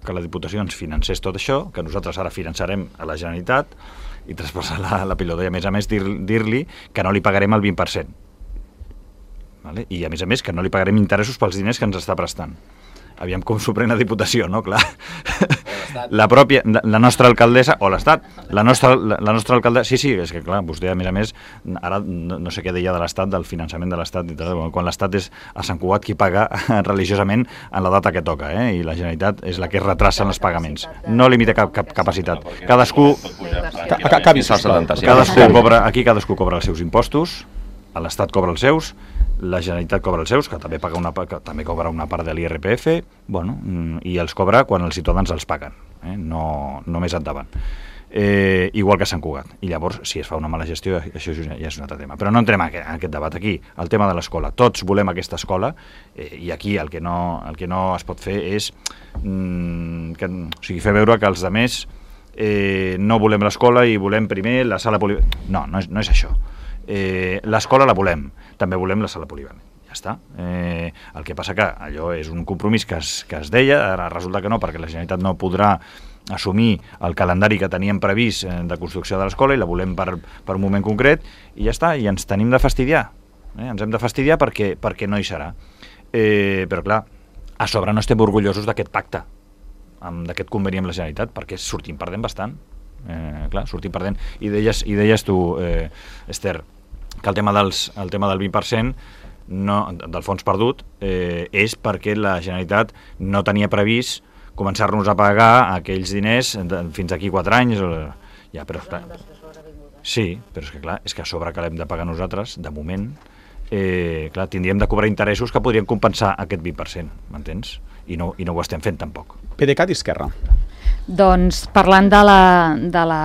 que la Diputació ens financés tot això, que nosaltres ara finançarem a la Generalitat i traspassar la, la pilota. I, a més a més, dir-li dir que no li pagarem el vint per cent. Vale? I, a més a més, que no li pagarem interessos pels diners que ens està prestant. Aviam com s'ho pren la Diputació, no? Clar. la pròpia, la nostra alcaldessa, o l'Estat, la nostra, la, la nostra alcaldessa, sí, sí, és que clar, vostè a més a més, ara no, no sé què deia de l'Estat, del finançament de l'Estat, quan l'Estat és a Sant Cugat qui paga religiosament en la data que toca, eh? I la Generalitat és la que es retrasa en els pagaments. No limita cap, cap capacitat. Cadascú, cadascú cobra, aquí cadascú cobra els seus impostos, l'Estat cobra els seus, la Generalitat cobra els seus, que també paga una, que també cobra una part de l'I R P F, bueno, i els cobra quan els ciutadans els paguen, eh? no, no més endavant. Eh, igual que Sant Cugat. I llavors, si es fa una mala gestió, això ja és un altre tema. Però no entrem en aquest, en aquest debat aquí. El tema de l'escola. Tots volem aquesta escola, eh, i aquí el que, no, el que no es pot fer és mm, que, o sigui, fer veure que els altres eh, no volem l'escola i volem primer la sala polivalent. No, no és, no és això. Eh, l'escola la volem, també volem la sala polivalent, ja està. Eh, el que passa que allò és un compromís que es, que es deia, ara resulta que no, perquè la Generalitat no podrà assumir el calendari que teníem previst de construcció de l'escola i la volem per, per un moment concret, i ja està, i ens tenim de fastidiar, eh? ens hem de fastidiar perquè, perquè no hi serà. Eh, però clar, a sobre no estem orgullosos d'aquest pacte, d'aquest conveni amb la Generalitat, perquè sortim perdent bastant. Eh, clar, sortim perdent. I deies, i deies tu, eh, Esther, que el tema, dels, el tema del vint per cent no, del fons perdut eh, és perquè la Generalitat no tenia previst començar-nos a pagar aquells diners de, fins aquí quatre anys. O, ja, però, clar, sí, però és que clar, és que a sobre que l'hem de pagar nosaltres, de moment, eh, clar, tindríem de cobrar interessos que podrien compensar aquest vint per cent, m'entens? I no, i no ho estem fent tampoc. PDeCAT i Esquerra. Doncs parlant de la, de la,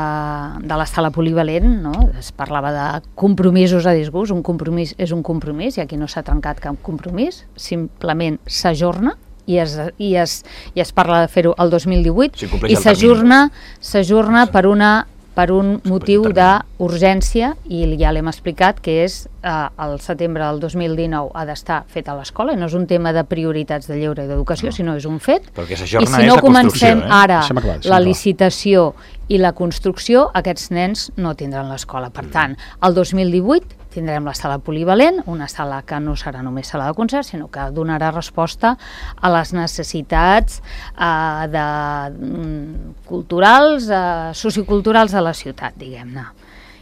de la sala polivalent, no? Es parlava de compromisos a disgust, un compromís és un compromís i aquí no s'ha trencat cap compromís, simplement s'ajorna i es, i, es, i es parla de fer-ho el dos mil divuit si i s'ajorna s'ajorna per una per un motiu d'urgència i ja l'hem explicat que és eh, el setembre del dos mil dinou ha d'estar fet a l'escola i no és un tema de prioritats de lleure i d'educació, no. sinó és un fet. Perquè s'ajorna I si no és la comencem eh? ara clar, la licitació i la construcció, aquests nens no tindran l'escola. Per tant, el dos mil divuit tindrem la sala polivalent, una sala que no serà només sala de concert, sinó que donarà resposta a les necessitats eh, de, mm, culturals, eh, socioculturals de la ciutat, diguem-ne.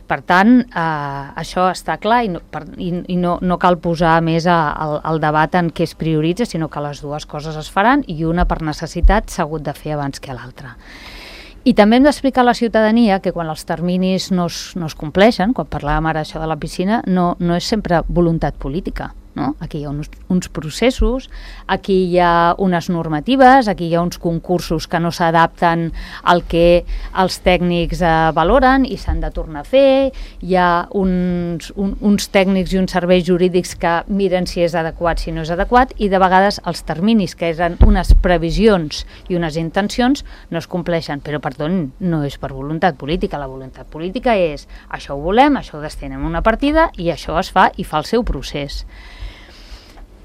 Per tant, eh, això està clar i, no, per, i, i no, no cal posar més a, al, al debat en què es prioritza, sinó que les dues coses es faran i una per necessitat s'ha hagut de fer abans que l'altra. I també hem d'explicar a la ciutadania que quan els terminis no es, no es compleixen, quan parlàvem ara això de la piscina, no, no és sempre voluntat política. No? Aquí hi ha uns, uns processos, aquí hi ha unes normatives, aquí hi ha uns concursos que no s'adapten al que els tècnics eh, valoren i s'han de tornar a fer, hi ha uns, un, uns tècnics i uns serveis jurídics que miren si és adequat, si no és adequat, i de vegades els terminis, que eren unes previsions i unes intencions, no es compleixen, però perdó, no és per voluntat política, la voluntat política és això ho volem, això ho destinem una partida i això es fa i fa el seu procés.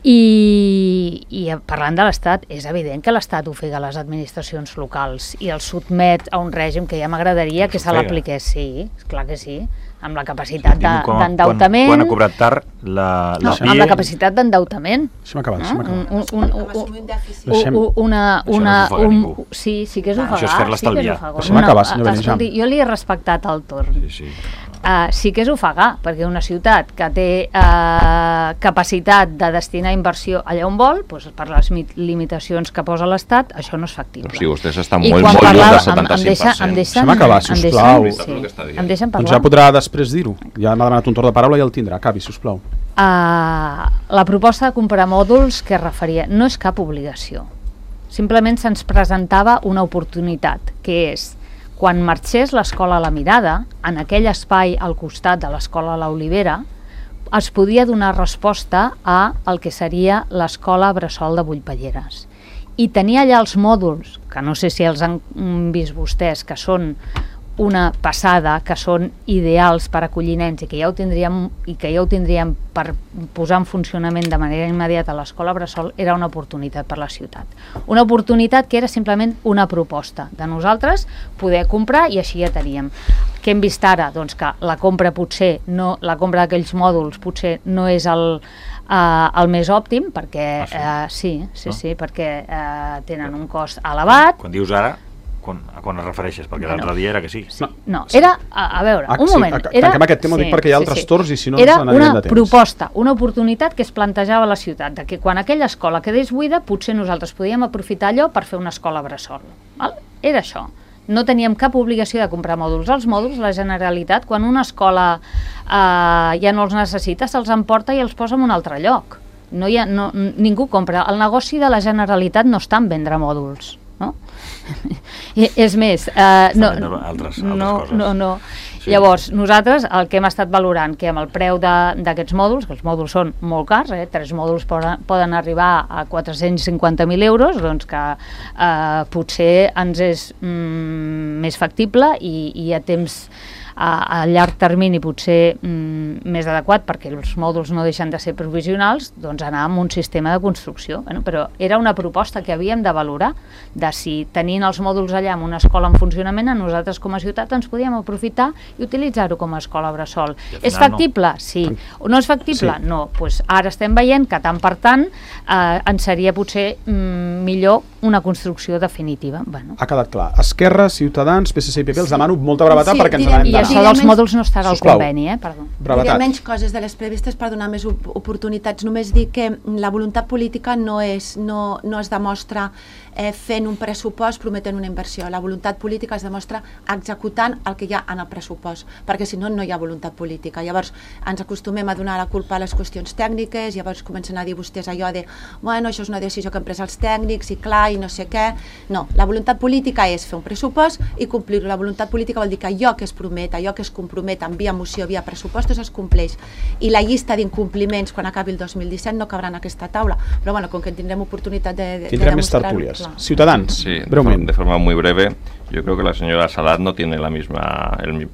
I, i parlant de l'Estat, és evident que l'Estat ofega les administracions locals i els sotmet a un règim que ja m'agradaria que se l'apliqués, sí, clar que sí, amb la capacitat d'endeutament. Quan ha cobrat tard la, la no, amb la capacitat d'endeutament. Deixa'm acabar, deixa'm acabar. Un, un, un, un, una, una, un, sí, sí que és ofegar. Això és fer-la estalviar. Deixa'm acabar, senyor Benejam. Jo li he respectat el torn. Sí, sí. Uh, sí que és ofegar, perquè una ciutat que té uh, capacitat de destinar inversió allà on vol, doncs per les limitacions que posa l'Estat, això no és factible. Però si vostès estan molt, molt lluny del setanta-cinc per cent. Em deixen, deixa'm acabar, sisplau. Sí, em deixen parlar. Doncs ja podrà després dir-ho. Ja m'ha demanat un torn de paraula i el tindrà. Acabi, sisplau. Uh, la proposta de comprar mòduls que es referia no és cap obligació. Simplement se'ns presentava una oportunitat, que és quan marxés l'escola La Mirada, en aquell espai al costat de l'escola La Olivera, es podia donar resposta a el que seria l'escola Bressol de Bullpelleres. I tenia allà els mòduls, que no sé si els han vist vostès, que són una passada, que són ideals per acollir nens i que ja ho tindríem, i que ja ho tindríem per posar en funcionament de manera immediata a l'escola Bressol, era una oportunitat per la ciutat. Una oportunitat que era simplement una proposta de nosaltres poder comprar i així ja teníem. Què hem vist ara? Doncs que la compra potser no, la compra d'aquells mòduls potser no és el, uh, el més òptim, perquè ah, sí? Uh, sí, sí, no? sí, perquè uh, tenen un cost elevat. Quan dius ara... quan, a quan es refereixes? Perquè bueno, l'altre dia era que sí. sí. No, era, a, a veure, ah, un sí, moment. Tanquem Era, aquest tema, sí, dic perquè hi ha altres sí, sí. torns i si no era ens n'anirem de temps. Era una proposta, una oportunitat que es plantejava a la ciutat, de que quan aquella escola quedés buida, potser nosaltres podíem aprofitar allò per fer una escola bressol. Val? Era això. No teníem cap obligació de comprar mòduls. Els mòduls, la Generalitat, quan una escola eh, ja no els necessita, se'ls emporta i els posa en un altre lloc. No hi ha, no, ningú compra. El negoci de la Generalitat no està en vendre mòduls, no? I, és més, eh, no, altres, altres no, coses. no, no. Sí. Llavors, nosaltres el que hem estat valorant, que amb el preu d'aquests mòduls, que els mòduls són molt cars, eh, tres mòduls poden, poden arribar a quatre-cents cinquanta mil euros, doncs que eh, potser ens és mm, més factible i, i a temps a, a llarg termini potser mm, més adequat, perquè els mòduls no deixen de ser provisionals, doncs anar amb un sistema de construcció. Bueno, però era una proposta que havíem de valorar, de si tenint els mòduls allà en una escola en funcionament, a nosaltres com a ciutat ens podíem aprofitar i utilitzar-ho com a escola bressol. És factible? No. Sí. O no és factible? Sí. No. Pues ara estem veient que tant per tant eh, ens seria potser mm, millor una construcció definitiva. Bueno. Ha quedat clar. Esquerra, Ciutadans, P S C i P P, els demano molta brevetat sí, perquè ens n'anem d'anar. I això dels mòduls no estarà al conveni, eh? Perdó. Diré menys coses de les previstes per donar més oportunitats. Només dir que la voluntat política no, és, no, no es demostra eh, fent un pressupost prometent una inversió. La voluntat política es demostra executant el que hi ha en el pressupost, perquè si no, no hi ha voluntat política. Llavors ens acostumem a donar la culpa a les qüestions tècniques, llavors comencen a dir vostès allò de bueno, això és una decisió que han pres els tècnics i clar, i no sé què. No, la voluntat política és fer un pressupost i complir-ho. La voluntat política vol dir que allò que es promet, allò que es compromet en via moció, via pressupostos, es compleix. I la llista d'incompliments quan acabi el dos mil disset no cabrà en aquesta taula. Però bueno, com que tindrem oportunitat de, de, tindrem de més tertúlies. Ciudadanos, sí, breument. De forma muy breve, yo creo que la señora Salat no tiene la misma... El,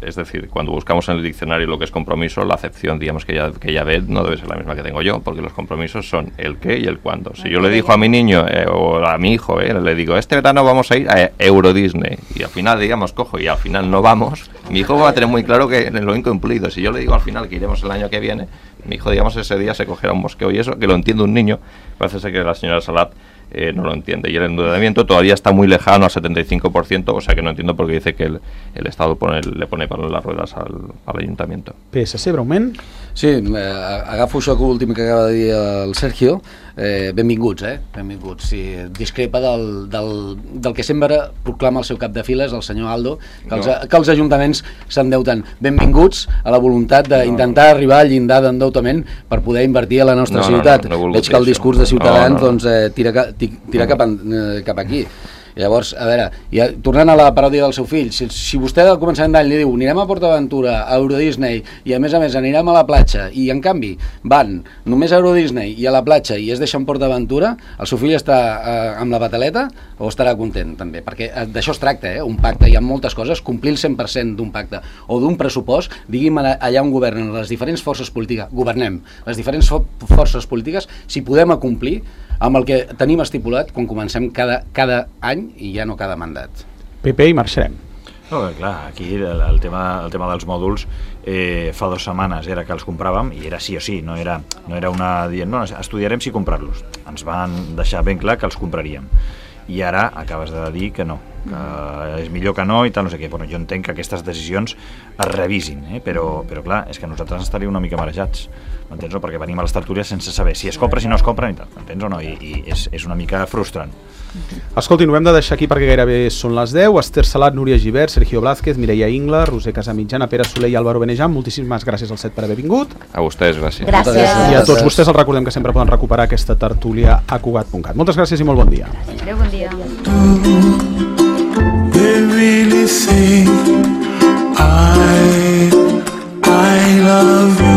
es decir, cuando buscamos en el diccionario lo que es compromiso, la acepción, digamos, que ella, que ella ve no debe ser la misma que tengo yo, porque los compromisos son el qué y el cuándo. Si yo le digo a mi niño eh, o a mi hijo, eh, le digo, este verano vamos a ir a Euro Disney, y al final, digamos, cojo y al final no vamos, mi hijo va a tener muy claro que lo incumplido. Si yo le digo al final que iremos el año que viene, mi hijo, digamos, ese día se cogerá un mosqueo, y eso, que lo entiende un niño, parece ser que la señora Salat Eh, no lo entiende, y el endeudamiento todavía está muy lejano al setenta y cinco por ciento, o sea que no entiendo por qué dice que el, el Estado pone, le pone para las ruedas al, al Ayuntamiento. P S C, breument? Sí, eh, agafo això últim que acaba de dir el Sergio. Eh, benvinguts, eh? Benvinguts. Sí, discrepa del, del, del que sempre proclama el seu cap de files, el senyor Aldo, que els, no. que els ajuntaments s'endeuten. Benvinguts a la voluntat d'intentar no. arribar al llindar d'endeutament per poder invertir a la nostra no, ciutat. No, no, no Veig que el discurs de Ciutadans no, no. doncs, eh, tira, tira cap, en, eh, cap aquí. Llavors, a veure, ja, tornant a la paròdia del seu fill, si, si vostè al començament d'any li diu anirem a PortAventura, a Euro Disney i a més a més anirem a la platja, i en canvi van només a Euro Disney i a la platja i es deixa en PortAventura, el seu fill està eh, amb la bataleta o estarà content també? Perquè eh, d'això es tracta, eh? Un pacte, hi ha moltes coses, complir el cent per cent d'un pacte o d'un pressupost, digui'm allà on governen les diferents forces polítiques, governem les diferents fo forces polítiques, si podem acomplir amb el que tenim estipulat quan comencem cada, cada any i ja no cada mandat. P P i marxarem. No, clar, aquí el, el, tema, el tema dels mòduls eh, fa dues setmanes era que els compràvem i era sí o sí, no era, no era una dient, no, estudiarem si comprar-los. Ens van deixar ben clar que els compraríem. I ara acabes de dir que no, que és millor que no i tal, no sé què. Bueno, jo entenc que aquestes decisions es revisin, eh? però, però clar, és que nosaltres estaríem una mica marejats, m'entens? No? Perquè venim a les tertúlies sense saber si es compra, si no es compra, i tal, m'entens o no? I, i és, és una mica frustrant. Escolti, ho hem de deixar aquí perquè gairebé són les deu. Esther Salat, Núria Gibert, Sergio Blázquez, Mireia Ingla, Roser Casamitjana, Pere Soler i Álvaro Benejam, moltíssimes gràcies al set per haver vingut. A vostès, gràcies. Gràcies. I a tots vostès els recordem que sempre poden recuperar aquesta tertúlia a Cugat punt cat. Moltes gràcies i molt bon dia. Adéu, bon dia. They really think I, I love you.